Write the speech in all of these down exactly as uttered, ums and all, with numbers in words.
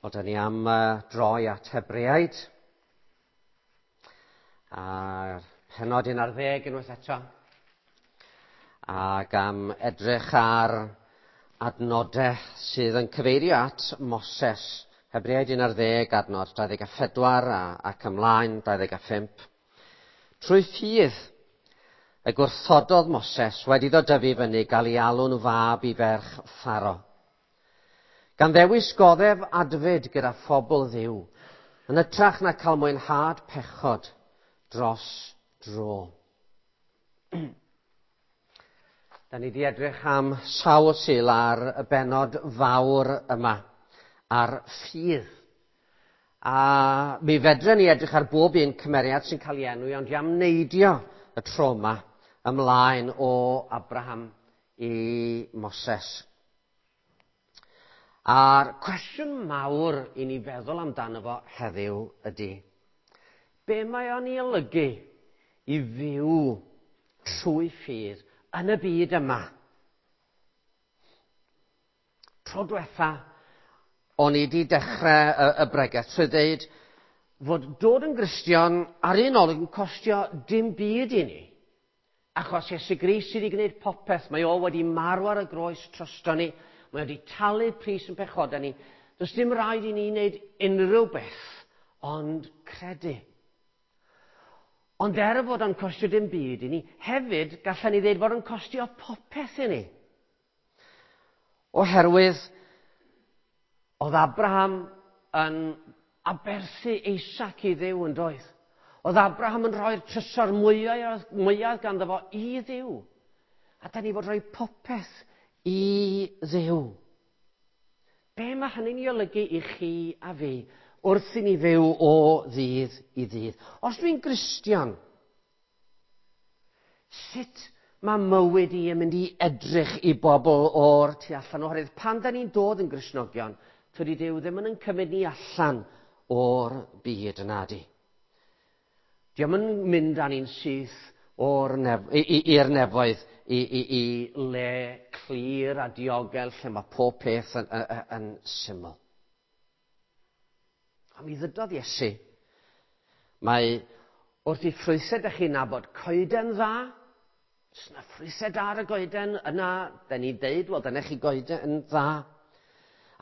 Wel, da ni am uh, droi at Hebreaid a'r pennod un ar ddeg unwaith eto, ac am edrych ar adnodau sydd yn cyfeirio at Moses. Hebreaid un ar ddeg, adnod dau ddeg a phedwar a, ac ymlaen dau ddeg a phump. Trwy ffydd y gwrthododd Moses wedi iddo dyfu fyny gael ei alw'n fab i ferch Pharo, gan ddewis goddef adfyd gyda phobl Dduw, yn hytrach na cael mwynhad pechod dros dro. Da ni wedi edrych am sawl Sul ar y bennod fawr yma, ar ffydd. A mi fedren ni edrych ar bob un cymeriad sy'n cael ei enwi, ond i am neidio y tro yma ymlaen o Abraham i Moses. A'r cwestiwn mawr i ni feddwl amdano fo heddiw ydy, be mae o'n ei olygu i fyw trwy ffydd yn y byd yma? Tro diwetha, o'n i wedi dechrau y, y bregeth trwy ddeud fod dod yn Gristion ar un olwg yn costio dim byd i ni. Achos Iesu Grist sydd wedi gwneud popeth, mae o wedi marw ar y groes drosto ni, mae wedi talu pris yn pechodau ni. Does dim rhaid i ni wneud unrhyw beth, ond credu. Ond er fod o'n costio dim byd i ni, hefyd gallen ni ddeud fod o'n costio popeth i ni. Oherwydd oedd Abraham yn aberthu Isaac i Dduw yn doedd. Oedd Abraham yn rhoi'r trysor mwyaf, mwyaf ganddo fo i Dduw. A da ni fod rhoi popeth i Dduw. Be mae hynny'n ei olygu i chi a fi wrth i ni fyw o ddydd i ddydd? Os dwi'n Gristion, sut mae mywyd i yn mynd i edrych i bobl o'r tu allan? Oherwydd pan da ni'n dod yn Gristnogion, tydi Duw ddim yn cymryd ni allan o'r byd yna di. Dio'm yn mynd â ni'n syth o'r nef, i'r nefoedd i, i, i le clir a diogel lle mae pob peth yn, yn, yn syml. A mi ddydodd Iesu, mae wrth i ffrwythau dych chi'n nabod coeden dda, os yna ffrwythau da ar y goeden, yna, da ni'n deud, wel, dyna chi goeden dda.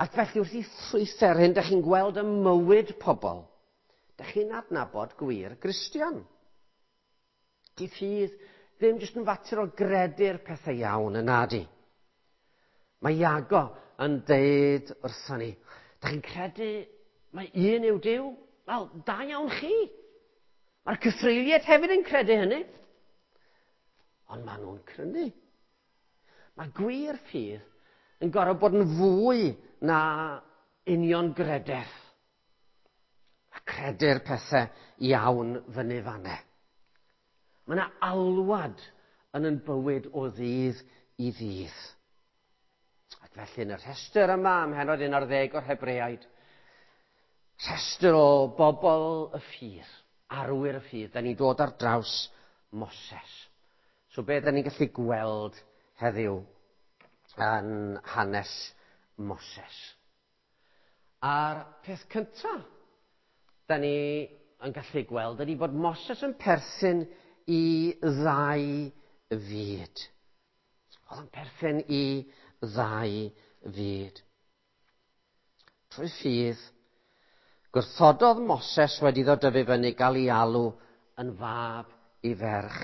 Ac felly wrth i ffrwythau'r hyn, dych chi'n gweld y mywyd pobl, dych chi'n adnabod gwir Gristion. Di ffydd ddim jyst yn fater o gredu'r pethau iawn yna di. Mae Iago yn deud wrthon ni, dych chi'n credu mae un yw Duw? Wel, da iawn chi. Mae'r cythreuliaid hefyd yn credu hynny. Ond maen nhw'n crynu. Mae gwir ffydd yn gorfod bod yn fwy na uniongrededd. A credu'r pethau iawn fyny fanne. Mae yna alwad yn yn bywyd o ddydd i ddydd. Ac felly yn y rhestr yma, ym mhennod un ar ddeg o'r Hebreaid, rhestr o bobl y ffydd, arwyr y ffydd, da ni'n dod ar draws Moses. So be da ni'n gallu gweld heddiw yn hanes Moses? A'r peth cyntaf da ni yn gallu gweld ydy bod Moses yn perthyn i ddau fyd. Oedd yn perthyn i ddau fyd. Trwy ffydd, gwrthododd Moses wedi iddo dyfu fyny gael ei alw yn fab i ferch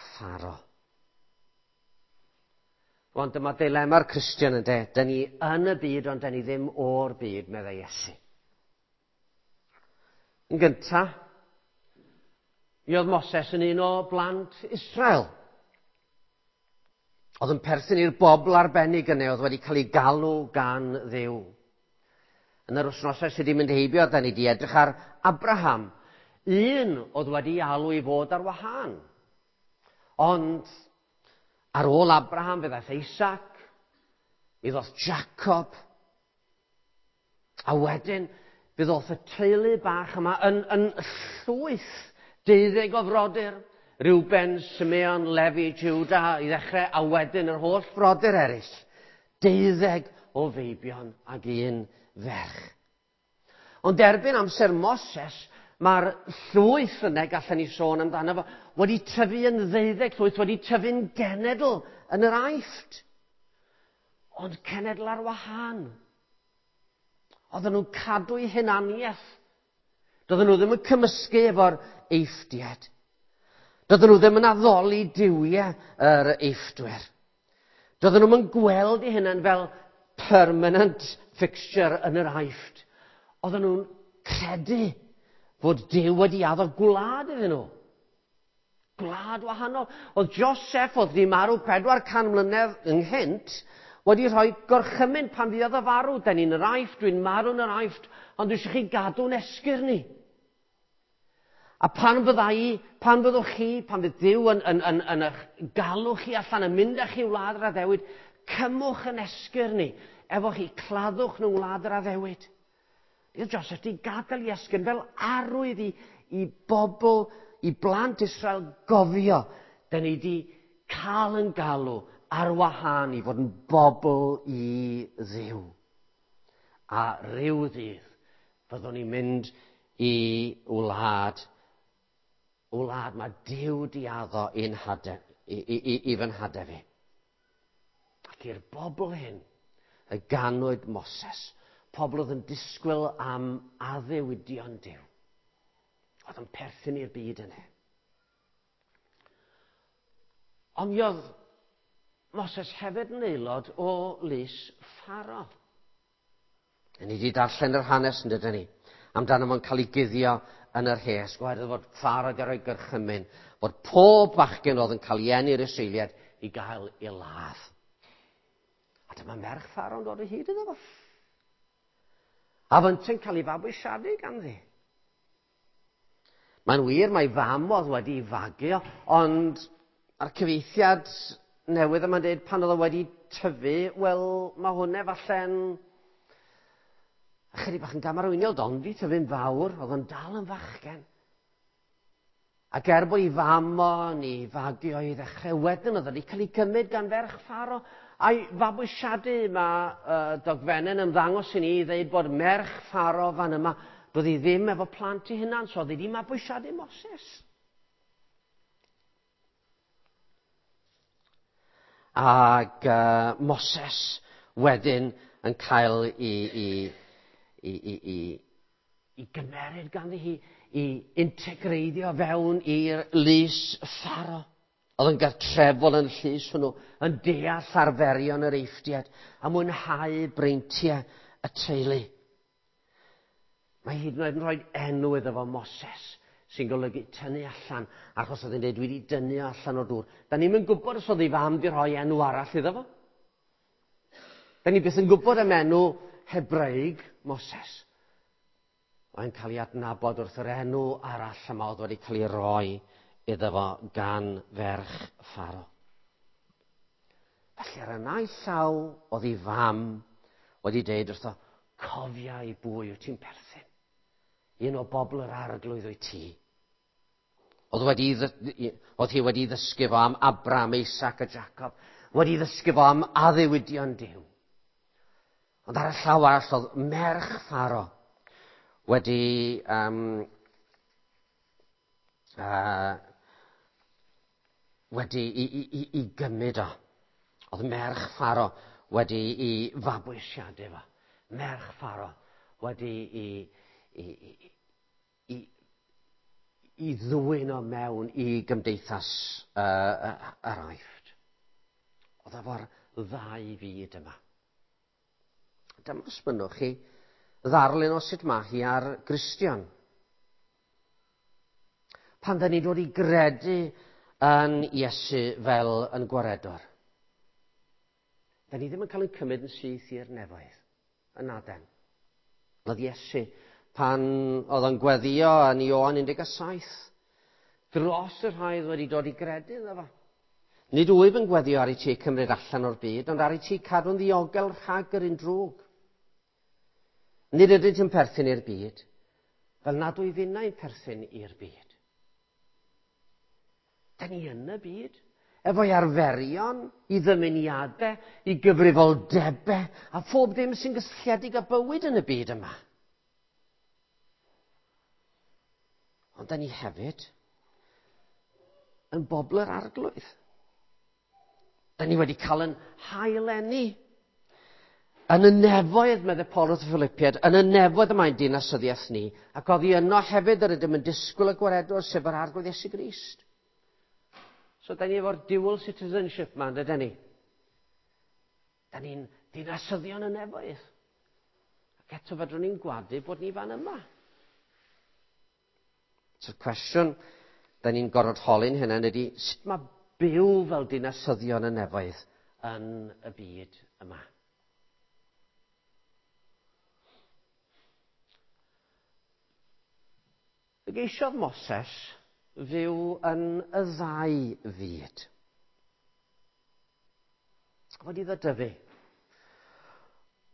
Pharo. Rwan dyma dilema'r Cristion ynde. Da ni yn y byd, ond da ni ddim o'r byd, meddai Iesu. Yn gyntaf, mi oedd Moses yn un o blant Israel. Oedd yn perthyn i'r bobl arbennig yna, oedd wedi cael ei galw gan Dduw. Yn yr wythnosau sydd wedi mynd heibio, da ni wedi edrych ar Abraham, un oedd wedi alw i fod ar wahân. Ond ar ôl Abraham fe ddaeth Isaac, mi ddoth Jacob, a wedyn fe ddoth y teulu bach yma yn, yn llwyth deuddeg o frodyr, Reuben, Simeon, Lefi, Judah i ddechrau, a wedyn yr holl frodyr eraill, deuddeg o feibion ag un ferch. Ond erbyn amser Moses, mae'r llwyth yna, gallen ni sôn amdano fo, wedi tyfu yn ddeuddeg llwyth, wedi tyfu'n genedl yn yr Aifft. Ond cenedl ar wahân. Oedden nhw'n cadw eu hunaniaeth. Doedden nhw ddim yn cymysgu efo'r Eifftiaid. Doedden nhw ddim yn addoli duwiau yr Eifftwyr. Doedden nhw'n gweld eu hunain fel permanent fixture yn yr Aifft. Oedden nhw'n credu fod Duw wedi addo gwlad iddyn nhw. Gwlad wahanol. Oedd Joseph, oedd di marw pedwar can mlynedd ynghynt, wedi rhoi gorchymyn pan fuodd o farw. Den ni'n yr Aifft, dwi'n marw yn yr Aifft, ond dwi eisiau chi gadw'n esgyrn ni. A pan fyddai, pan fyddwch chi, pan fydd Duw yn, yn, yn, yn eich galw chi allan, yn mynd â chi wlad yr addewid, cymwch yn esgyrn ni, efo chi, claddwch nhw wlad yr addewid. Oedd Joseph di gadael i esgyrn fel arwydd i, i bobl, i blant Israel gofio. Da ni di cael yn galw ar wahân i fod yn bobl i Dduw. A rhyw ddydd fyddwn ni'n mynd i wlad, wlad mae Duw di addo i'n hade, i, i, i, i fy nhade fi. Ac i'r bobl hyn y ganwyd Moses, pobl oedd yn disgwyl am addewidion Duw. Oedd yn perthyn i'r byd yna. Ond mi oedd Moses hefyd yn aelod o lys Pharaoh. Ni wedi darllen yr hanes yn dydyn ni, amdano fo'n cael ei guddio yn yr hesg, oherwydd fod Pharaoh wedi rhoi gorchymyn, bod pob bachgen oedd yn cael ei eni i'r Israeliaid i gael ei ladd. A dyma merch Pharaoh yn dod o hyd iddo fo. A fyntau'n cael ei fabwysiadu ganddi. Mae'n wir, mae fam oedd wedi ei fagu, ond ar cyfieithiad newydd yma'n dweud pan oedd o wedi tyfu, wel, mae hwnna falle'n ychydig bach yn gamarweiniol, ond di tyfu'n fawr, oedd o'n dal yn fachgen. Ac er bod ei fam o ni fagu o i ddechrau, wedyn oedd wedi cael ei gymryd gan ferch Pharaoh. A'i fabwysiadu mae uh, dogfennau'n ymddangos i ni i ddweud bod merch Pharaoh fan yma, doedd hi ddim efo plant ei hunan, so oedd hi wedi mabwysiadu Moses. Ac uh, Moses wedyn yn cael ei, ei, ei, ei, ei, ei gymeryd ganddi hi, i integreiddio fewn i'r lys Pharaoh. Oedd yn gartrefol yn llys hwnnw, yn deall arferion yr Eifftiaid, a mwynhau breintiau y teulu. Mae hyd yn oed yn rhoi enw iddo fo Moses, sy'n golygu tynnu allan, achos oedd hi'n dweud, dwi wedi dynnu allan o'r dŵr. Da ni'm yn gwybod os oedd ei fam wedi rhoi enw arall iddo fo. Da ni byth yn gwybod am enw Hebraeg Moses. Mae'n cael ei adnabod wrth yr enw arall yma oedd wedi cael ei roi iddo fo gan ferch Pharaoh. Felly ar y naill llaw oedd ei fam wedi dweud wrtho, cofia i bwy wyt ti'n perthyn. Un o bobl yr arglwydd wyt ti. Oedd, wedi, oedd hi wedi ddysgu fo am Abraham, Isaac a Jacob. Wedi ddysgu fo am addewidion Duw. Ond ar y llaw arall oedd merch Pharaoh wedi um, uh, wedi i, i, i, i gymryd o. Oedd merch Pharaoh wedi i fabwysiadu fo. Merch Pharaoh wedi i, i, i, i, i ddwyn o mewn i gymdeithas uh, yr Aifft. Oedd efo'r ddau fyd yma. Dyma os bynnwch chi ddarlun o sut mae hi ar Gristion. Pan da ni'n dod i gredu yn Iesu fel yn gwaredwr, da ni ddim yn cael ein cymryd yn syth i'r nefoedd, yn aden. Oedd Iesu, pan oedd o'n gweddio yn Ioan un deg saith, dros y rhai oedd wedi dod i gredu iddo fo. Nid wyf yn gweddio ar i ti cymryd allan o'r byd, ond ar i ti cadw'n ddiogel rhag yr un drwg. Nid ydynt yn perthyn i'r byd, fel nad wyf innau'n perthyn i'r byd. Da ni yn y byd, efo'i arferion, i ddymuniadau, i gyfrifoldebau, a phob dim sy'n gysylltiedig â bywyd yn y byd yma. Ond da ni hefyd yn bobl yr Arglwydd. Da ni wedi cael yn haileni. Yn y nefoedd, meddai Paul wrth y Philippiaid, yn y nefoedd y mae'n dinasyddiaeth ni, ac oddi yno hefyd yr ydym yn disgwyl y gwaredwr, sef yr Arglwydd Iesu Grist. So, da ni efo'r dual citizenship ma, ydyn ni? Da ni'n dinasyddion y nefoedd. Ac eto fedrwn ni'n gwadu bod ni fan yma. So'r cwestiwn da ni'n gorfod holi'n hynny ydy, sut mae byw fel dinasyddion y nefoedd yn y byd yma? Fe geisiodd Moses fyw yn y ddau fyd. Oedd iddo dyfu.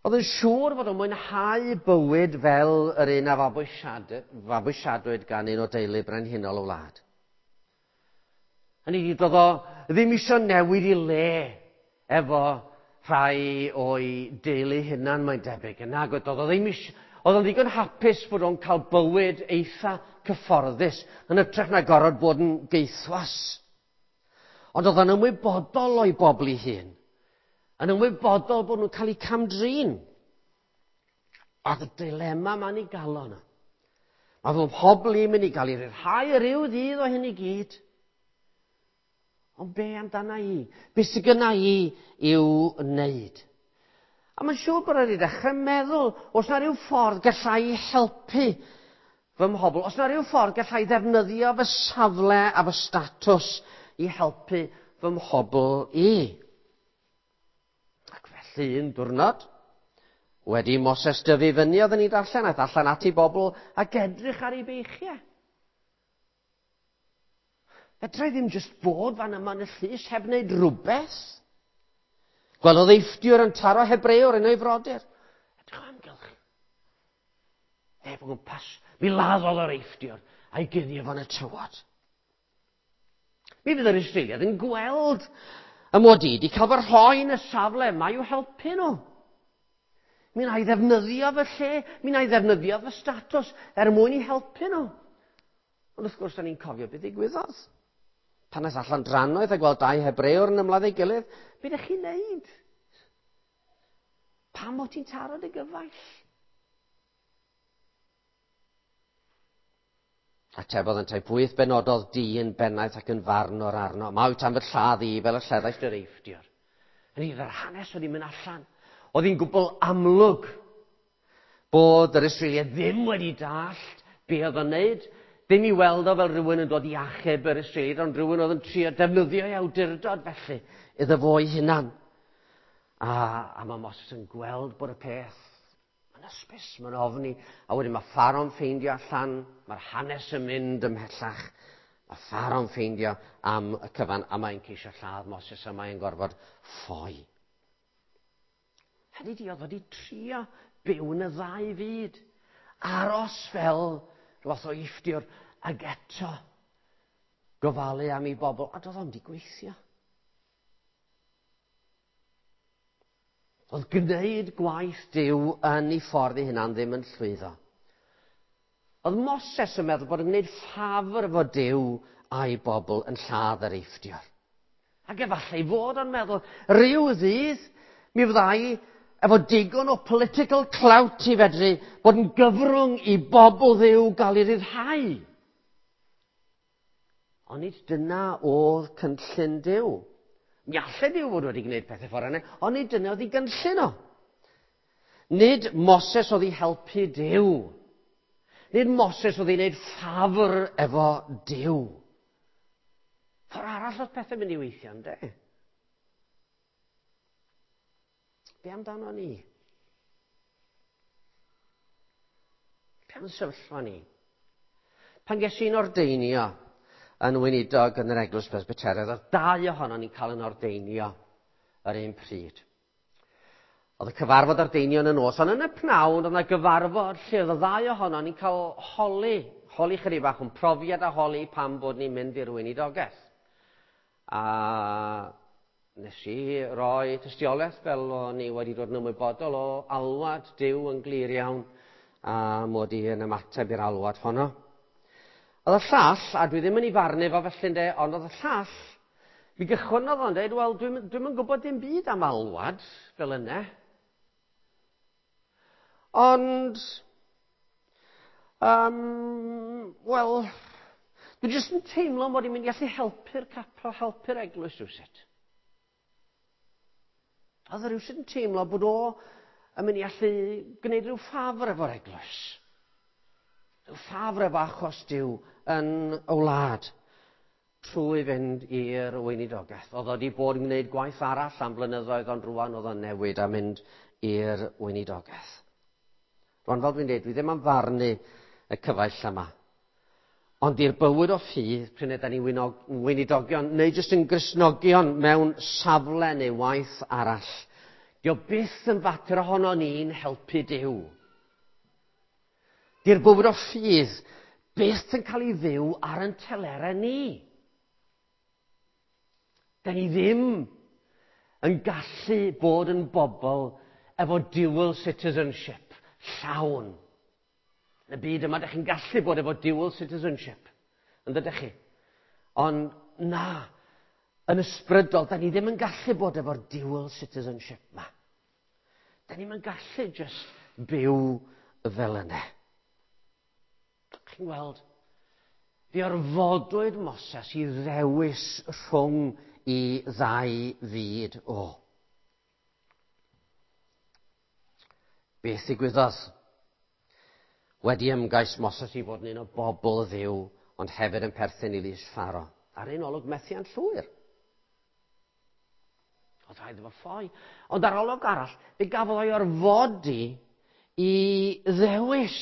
Oedd yn siŵr fod o'n mwynhau bywyd fel yr un a fabwysiadwyd gan un o deulu brenhinol y wlad. Hynny ydi, doedd o ddim eisiau newid i le efo rhai o'i deulu hunan, mae'n debyg. Nag oedd, doedd o ddim eisiau. Oedd o'n ddigon hapus bod o'n cael bywyd eitha cyfforddus yn hytrach na gorfod bod yn geithwas. Ond oedd o'n ymwybodol o'i bobl ei hun. Yn ymwybodol bod nhw'n cael eu camdrin. Oedd y dilema ma'n ei galon. Mae fy mhobl i'n mynd i gael ei ryddhau ryw ddydd o hyn i gyd. Ond be amdana i? Be sydd gynna i i'w wneud? A mae'n siŵr bod wedi dechrau meddwl, os na ryw ffordd gallai helpu fy mhobl, os na ryw ffordd gallai ddefnyddio fy safle a fy statws i helpu fy mhobl i. Ac felly un diwrnod, wedi Moses dyfu fyny, oedden ni'n darllen, aeth allan at ei bobl ac edrych ar ei beichiau. Fedra i ddim jyst bod fan yma yn y llys heb wneud rhywbeth. Gwelodd Eifftiwr yn taro Hebrewr yn ei frodyr. Edrych o amgylch. Neb o gwmpas. Mi laddodd yr Eifftiwr a'i guddio fo'n y tywod. Mi fydd yr Israeliad yn gweld y mod i wedi cael fy rhoi yn y safle yma i'w helpu nhw. Mi wna i ddefnyddio fy lle, mi wna i ddefnyddio fy statws er mwyn i helpu nhw. Ond wrth gwrs, da ni'n cofio beth ddigwyddodd. Pan aeth allan drannoeth a gweld dau Hebrewr yn ymladd ei gilydd, be ydych chi'n neud? Pam o ti'n taro dy gyfaill? Atebodd yntau, pwy benododd di yn bennaeth ac yn farnwr arno? Ma wyt am fy lladd i fel y lleddaist yr Eifftiwr. Yn yr hanes oedd hi'n mynd allan. Oedd hi'n gwbl amlwg bod yr Israeliaid ddim wedi dallt be oedd o'n neud. Ddim i weld o fel rhywun yn dod i achub yr Israeliaid, ond rhywun oedd yn trio defnyddio ei awdurdod felly iddo fo ei hunan. A, a mae Moses yn gweld bod y peth yn ysbys, mae'n ofni. A wedyn mae Pharaoh'n ffeindio allan, mae'r hanes yn mynd ymhellach. Mae Pharaoh'n ffeindio am y cyfan, a mae'n ceisio lladd Moses, a mae'n gorfod ffoi. Hynny di, oedd wedi trio byw yn y ddau fyd. Aros fel rhywbeth o Eifftiwr, ac eto gofalu am ei bobl, a doedd o'm di gweithio. Oedd gwneud gwaith Duw yn ei ffordd ei hunan ddim yn llwyddo. Oedd Moses yn meddwl bod yn gwneud ffafr efo Duw a'i bobl yn lladd yr Eifftiwr. Ac efallai fod o'n meddwl, rhyw ddydd mi fyddai efo digon o political clout i fedru bod yn gyfrwng i bobl Dduw gael ei ryddhau. Ond nid dyna oedd cynllun Duw. Mi allai Duw fod wedi gwneud pethau ffordd yna, ond nid dyna oedd ei gynllun o. Nid Moses oedd i helpu Duw. Nid Moses oedd i wneud ffafr efo Duw. Ffordd arall oedd pethau mynd i weithio, ynde? Be amdano ni? Be am sefyllfa ni? Pan ges i'n ordeinio yn weinidog yn yr Eglwys Presbyteraidd, oedd dau ohonon ni'n cael yn ordeinio yr un pryd. Oedd y cyfarfod ordeinio yn y nos, ond yn y pnawn oedd yna gyfarfod lle oedd y ddau ohonon ni'n cael holi, holi chydig bach o'n profiad a holi pam bod ni'n mynd i'r weinidogaeth. A nes i roi tystiolaeth fel o'n i wedi dod yn ymwybodol o alwad Duw yn glir iawn, a mod i yn ymateb i'r alwad honno. Oedd y llall, a dwi ddim yn ei farnu fo felly ynde, ond oedd y llall, mi gychwynnodd o'n dweud, wel, dwi'm dwi'm yn gwybod dim byd am alwad fel yna. Ond, um, wel, dwi jyst yn teimlo mod i'n mynd i allu helpu'r capel, helpu'r eglwys rhywsut. Oedd o rhywsut yn teimlo bod o yn mynd i allu gwneud rhyw ffafr efo'r eglwys. Rhyw ffafr efo achos Duw yn y wlad trwy fynd i'r weinidogaeth. Oedd o wedi bod yn gwneud gwaith arall am blynyddoedd, ond rwan oedd o'n newid a mynd i'r weinidogaeth. Rwan, fel dwi'n dweud, dwi ddim am farnu y cyfaill yma. Ond i'r bywyd o ffydd, pryd ydan ni weinidogion, neu jyst yn Gristnogion mewn safle neu waith arall, dio byth yn fater ohono ni'n helpu Duw. Di'r bywyd o ffydd byth yn cael ei fyw ar yn telerau ni. Da ni ddim yn gallu bod yn bobl efo dual citizenship llawn. Yn y byd yma, da chi'n gallu bod efo dual citizenship, yn dydych chi? Ond na, yn ysbrydol, da ni ddim yn gallu bod efo'r dual citizenship ma. Da ni'm yn gallu just byw fel yna. Chi'n gweld, fe orfodwyd Moses i ddewis rhwng i ddau fyd o. Beth ddigwyddodd? Wedi ymgais Moses i fod yn un o bobl Dduw, ond hefyd yn perthyn i lys Pharo. Ar un olwg methiant llwyr. Oedd rhaid iddo fo ffoi. Ond ar olwg arall, fe gafodd o'i orfodi i ddewis.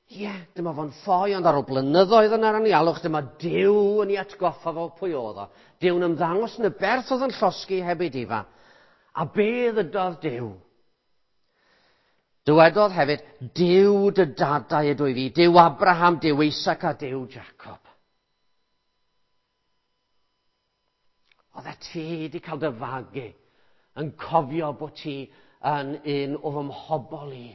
Ie, yeah, dyma fo'n ffoi, ond ar ôl blynyddoedd yn yr anialwch, dyma Duw yn ei atgoffa fo pwy oedd o. Duw'n ymddangos yn y berth oedd yn llosgi heb ei difa. A be ddydodd Duw? Dywedodd hefyd, Duw dy dadau ydw i fi, Duw Abraham, Duw Isaac a Duw Jacob. Oedd e ti wedi cael dy fagu yn cofio bod ti yn un o fy mhobl i.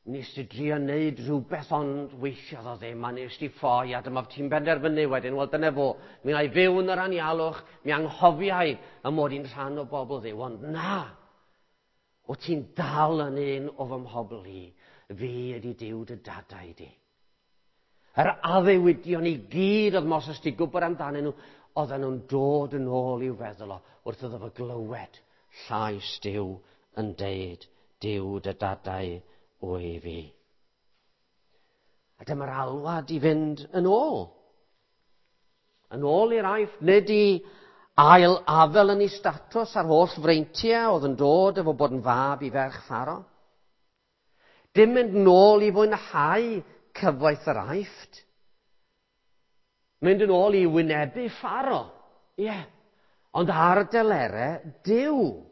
Nes ti drio wneud rhywbeth ond weithiodd o ddim, a nes ti ffoi, a dyma ti'n benderfynu wedyn, wel dyna fo, mi wna i fyw yn yr anialwch, mi anghofiai y mod i'n rhan o bobl Dduw, ond na, o ti'n dal yn un o fy mhobl i, fi ydi Duw dy dadau di. Yr addewidion i gyd oedd Moses di gwybod amdanyn nhw, oedden nhw'n dod yn ôl i'w feddwl o, wrth iddo fo glywed llais Duw yn deud, Duw dy dadau o'i fi. A dyma'r alwad i fynd yn ôl. Yn ôl i'r Aifft, nid i ail afel yn ei statws a'r holl freintiau oedd yn dod efo bod yn fab i ferch Pharo. Dim mynd nôl i fwynhau cyfoeth yr Aifft. Mynd yn ôl i wynebu Pharo. Ie. Yeah. Ond ar delerau Duw.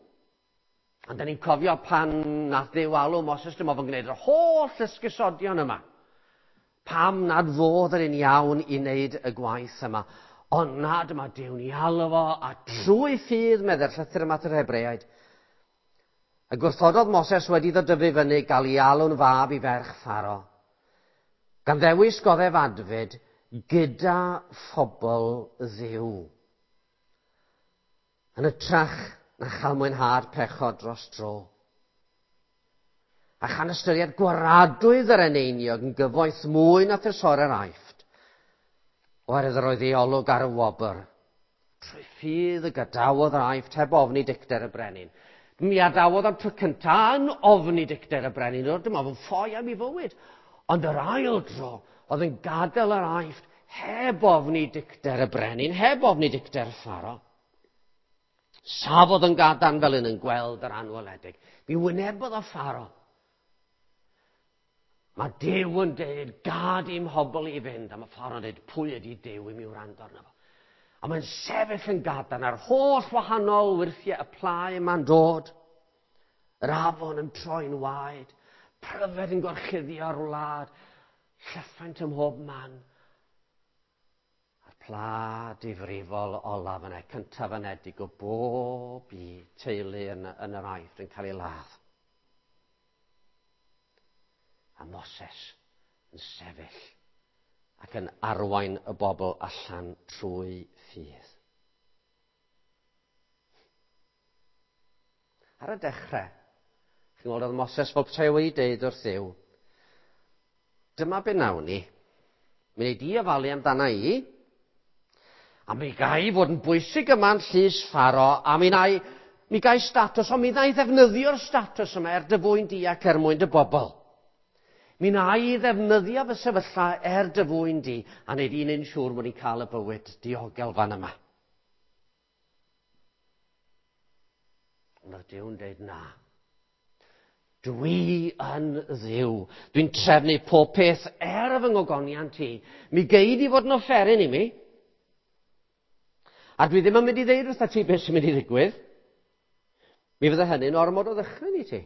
Ond da ni'n cofio pan nath Dduw alw Moses, dyma fo'n gwneud yr holl ysgusodion yma. Pam nad fodd yr un iawn i wneud y gwaith yma. Ond na, dyma Duw'n ei alw fo, a trwy ffydd, medde'r llythyr yma at yr Hebreaid. Y gwrthododd Moses wedi iddo dyfu fyny gael ei alw'n fab i ferch Pharo. Gan ddewis goddef adfyd gyda phobl Dduw. Yn ytrach na chael mwynhad pechod dros dro. A chan ystyried gwaradwydd yr eneiniog yn gyfoeth mwy na thrysorau'r Aifft, oherwydd yr oedd ei olwg ar y wobr. Trwy ffydd y gadawodd yr Aifft heb ofni dicter y brenin. Mi adawodd am tro cyntaf yn ofni dicter y brenin, oedd dyma fo'n ffoi am ei fywyd. Ond yr ail dro oedd yn gadael yr Aifft heb ofni dicter y brenin, heb ofni dicter Pharo. Safodd yn gadarn fel un yn gweld yr anweledig. Mi wynebodd o Pharo. Mae Duw yn deud, gad i'm hobl i fynd. A mae Pharo'n deud, pwy ydi Duw i mi wrando arno fo? A mae'n sefyll yn gadarn ar holl wahanol wyrthiau y pla yma'n dod. Yr afon yn troi'n waed, pryfed yn gorchuddio'r wlad, llyffant ym mhob man. A'r pla difrifol olaf yna, cyntaf anedig o bob i teulu yn, yn yr Aifft yn cael ei ladd. A Moses yn sefyll ac yn arwain y bobl allan trwy ffydd. Ar y dechrau, chi'n gweld oedd Moses fel petai wedi deud wrth Dduw, dyma be nawn ni, mi wnei di ofalu amdana i, a mi gai fod yn bwysig yma'n llys Pharo, a mi nai, mi gai statws, ond mi wnai ddefnyddio'r statws yma er dy fwyn di ac er mwyn dy bobl. Mi wna i ddefnyddio fy sefyllfa er dy fwyn di, a wneud i'n un siŵr bod ni'n cael y bywyd diogel fan yma. Ond oedd Duw'n dweud na. Dwi yn Dduw. Dwi'n trefnu pob peth er fy ngogoniant i. Mi gei di fod yn offeryn i mi. A dwi ddim yn mynd i ddeud wrtha ti beth sy'n mynd i ddigwydd. Mi fydde hynny'n ormod o ddychryn i ti.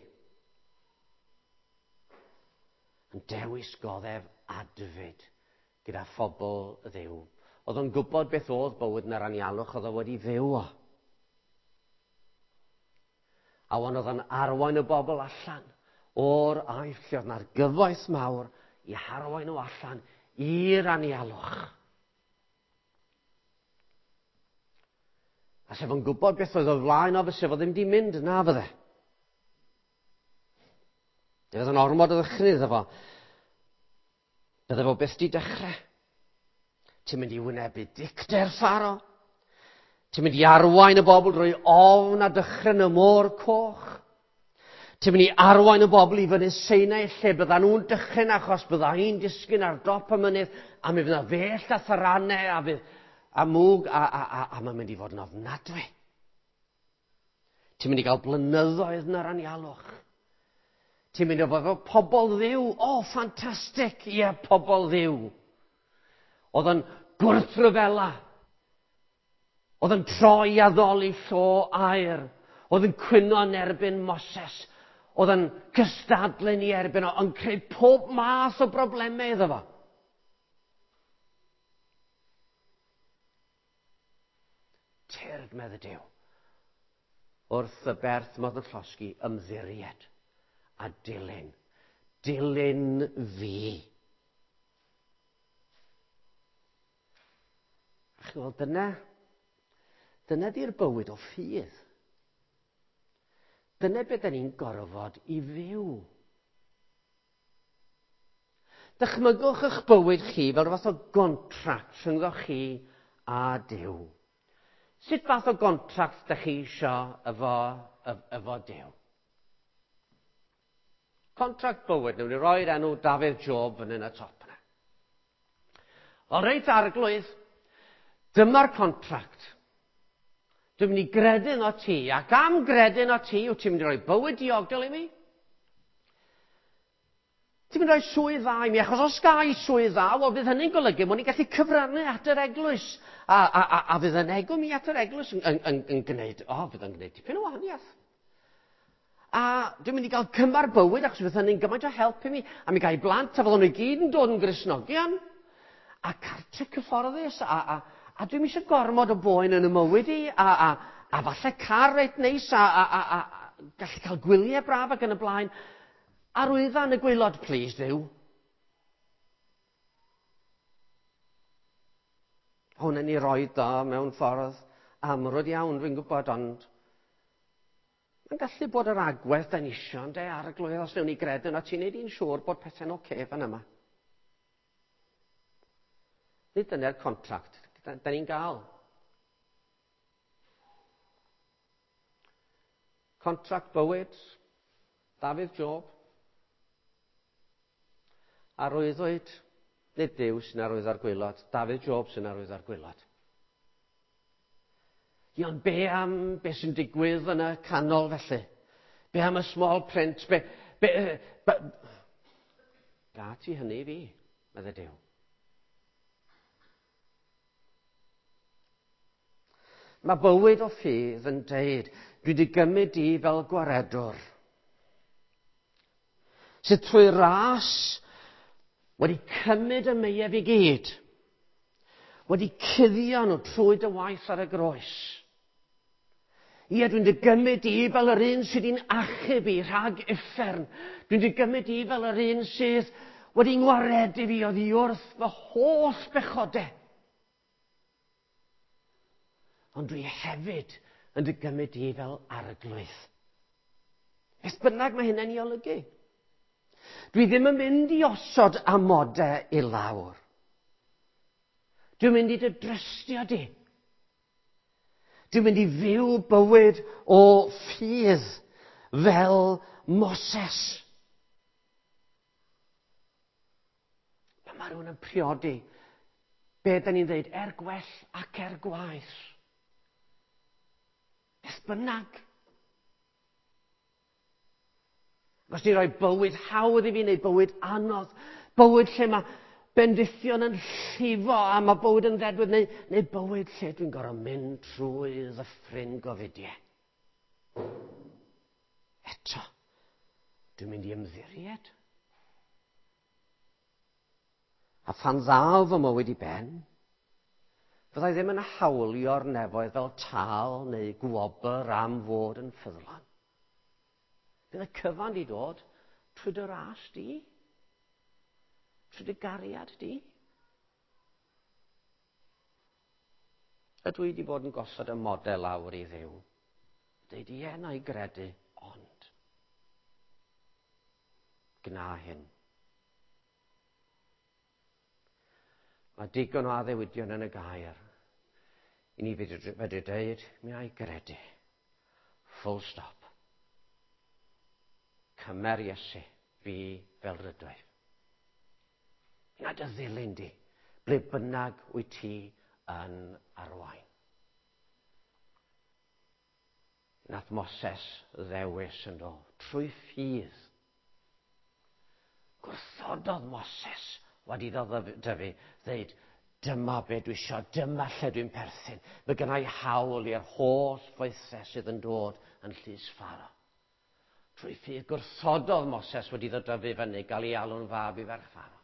Yn dewis goddef adfyd gyda phobl Dduw. Oedd o'n gwybod beth oedd bywyd yn yr anialwch, oedd o wedi fyw o. A wan oedd o'n arwain y bobl allan o'r Aifft lle oedd na'r gyfoeth mawr i harwain nhw allan i'r anialwch. A sef o'n gwybod beth oedd o flaen o, fyse fo ddim di mynd na fydde. Fe oedd yn ormod o ddychryn iddo fo. Bydde fo byth di dechrau. Ti'n mynd i wynebu dicter Pharo. Ti'n mynd i arwain y bobl drwy ofn a dychryn y môr coch. Ti'n mynd i arwain y bobl i fyny Sinai lle bydda nhw'n dychryn achos bydda hi'n disgyn ar dop y mynydd a mi fydda fellt a tharanau a fydd a mwg a, a, a, a mae'n mynd i fod yn ofnadwy. Ti'n mynd i gael blynyddoedd yn yr anialwch. Ti'n mynd i fod efo pobl Dduw. O, oh, ffantastig! Ie, pobl Dduw. Oedd yn gwrthryfela. Oedd yn troi addoli llo aur. Oedd yn cwyno yn erbyn Moses. Oedd yn cystadlu ni erbyn o, yn creu pob math o broblemau iddo fo. Tyrd, medde Duw, wrth y berth modd yn llosgi, ymddiried a dilyn. Dilyn fi. A chi'n gweld, dyna, dyna di'r bywyd o ffydd. Dyna beth da ni'n gorfod i fyw. Dychmygwch eich bywyd chi fel rhywbeth o gontract rhyngddo chi a Duw. Sut fath o gontract da chi isio efo, efo Duw? Contract bywyd, newn ni roi'r enw Dafydd Job fan hyn y top yna. O reit arglwydd, dyma'r contract. Dwi'n mynd i gredu yno ti, ac am gredu yno ti, wyt ti'n mynd i roi bywyd diogel i mi? Ti'n mynd i roi swydd dda i mi, achos os ga i swydd dda, wel fydd hynny'n golygu mod i'n gallu cyfrannu at yr eglwys. A, a, a, a fydd yn egw mi at yr eglwys yn, yn, yn, yn gwneud, o, fydd yn gwneud tipyn o wahaniaeth. A dwi'n mynd i gael cymar bywyd, achos fydd hynny'n gymaint o help i mi. A mi ga i blant, a fydden nhw i gyd yn dod yn Gristnogion. A cartre cyfforddus, a, a, a dwi'n eisiau gormod o boen yn y mywyd i, a, a, a falle car reit neis, a, a, a, a gallu cael gwyliau braf ac yn y blaen. Arwydda yn y gwaelod, please, Dduw. Hwn yn ei roed o mewn ffordd amrwd iawn, dwi'n gwybod, ond mae'n gallu bod yr agwedd da ni isio, ynde, arglwydd, os newn ni gredu yno, ti'n neud i'n siŵr bod pethau'n oce okay fan yma. Nid dyna'r contract da, da ni'n gael. Contract bywyd, Dafydd Job. Arwyddwyd, nid Duw sy'n arwyddo'r gwaelod, Dafydd Job sy'n arwyddo'r gwaelod. Ie, ond be am be sy'n digwydd yn y canol felly? Be am y small print? Be, be, be, ga ti hynny i fi, medde Duw. Mae bywyd o ffydd yn deud, dwi wedi gymryd di fel gwaredwr. Sydd trwy ras wedi cymryd y meiaf i gyd, wedi cuddio nhw trwy dy waith ar y groes. Ie, dwi'n dy gymryd i fel yr un sydd wedi'n achub i rhag uffern. Dwi'n dy gymryd i fel yr un sydd wedi ngwaredu fi oddi wrth fy holl bechodau. Ond dwi hefyd yn dy gymryd i fel arglwydd. Beth bynnag mae hynny'n ei olygu. Dwi ddim yn mynd i osod amodau i lawr. Dwi'n mynd i dy drystio di. Dwi'n mynd i fyw bywyd o ffydd fel Moses. Pan mae rhywun yn priodi, be da ni'n dweud, er gwell ac er gwaeth. Beth bynnag. Os ti'n rhoi bywyd hawdd i fi neu bywyd anodd, bywyd lle mae bendithion yn llifo a mae bywyd yn ddedwydd, neu, neu bywyd lle dwi'n gorfod mynd trwy ddyffryn gofidiau. Eto, dwi'n mynd i ymddiried. A phan ddaw fy mywyd i ben, fyddai ddim yn hawlio'r nefoedd fel tâl neu gwobr am fod yn ffyddlon. Bydd y cyfan di dod trwy dy ras di, trwy dy gariad di. Ydw i wedi bod yn gosod y model lawr i Dduw? Deud ie, na i gredu, ond gna hyn. Mae digon o addewidion yn y gair i ni fedru dweud, mi a'i gredu. Full stop. Cymer Iesu fi fel rydwyf. Na dy ddilyn di, ble bynnag wyt ti yn arwain. Nath Moses ddewis yn do, trwy ffydd. Gwrthododd Moses wedi iddo dyfu, ddeud, dyma be dwi isio, dyma lle dwi'n perthyn. Mae gynna i hawl i'r holl foethau sydd yn dod yn llys Pharaoh. Trwy ffydd gwrthododd Moses wedi iddo dyfu fyny, gael ei alw'n fab i ferch Pharaoh.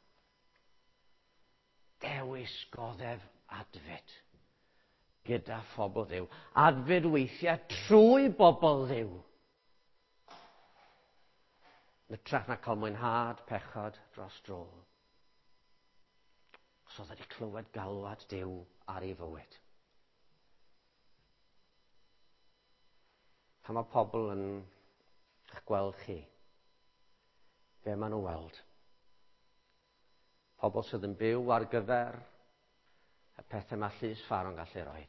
Dewis goddef adfyd gyda phobl Dduw. Adfyd weithiau trwy bobl Dduw. Hytrach na cael mwynhad pechod dros dro. Os oedd wedi clywed galwad Duw ar ei fywyd. Pan mae pobl yn eich gweld chi, be maen nhw'n weld? Pobl sydd yn byw ar gyfer y pethau mae llys Pharaoh'n gallu rhoi.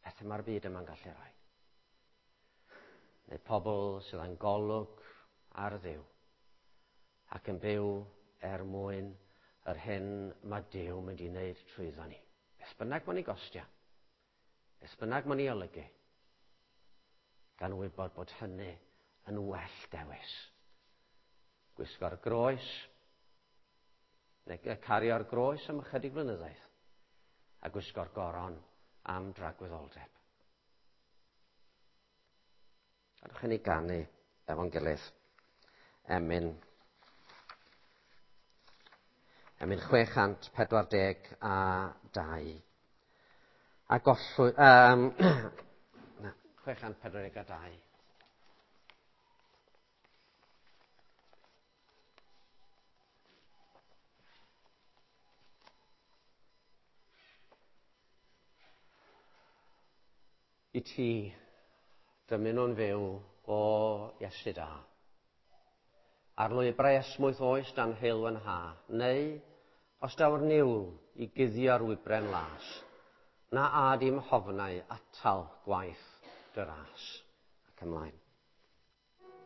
Pethau mae'r byd yma'n gallu rhoi. Neu pobl sydd yn golwg ar Dduw ac yn byw er mwyn yr hyn mae Duw mynd i wneud trwyddo ni. Beth bynnag mae'n ei gostio, beth bynnag mae'n ei olygu, gan wybod bod hynny yn well dewis. Gwisgo'r groes, neu cario'r groes am ychydig flynyddoedd, a gwisgo'r goron am dragwyddoldeb. Gadewch i ni ganu efo'n gilydd. Emyn. Emyn chwe chant pedwar deg a dau. A gollwy... Um, na, chwe chant pedwar deg a dau. I ti, dymunwn fyw o Iesu da. Ar lwybrau esmwyth oes dan heulwen ha, neu os daw'r niwl i guddio'r wybren las, na ad i'm hofnau atal gwaith dy ras. Ac ymlaen.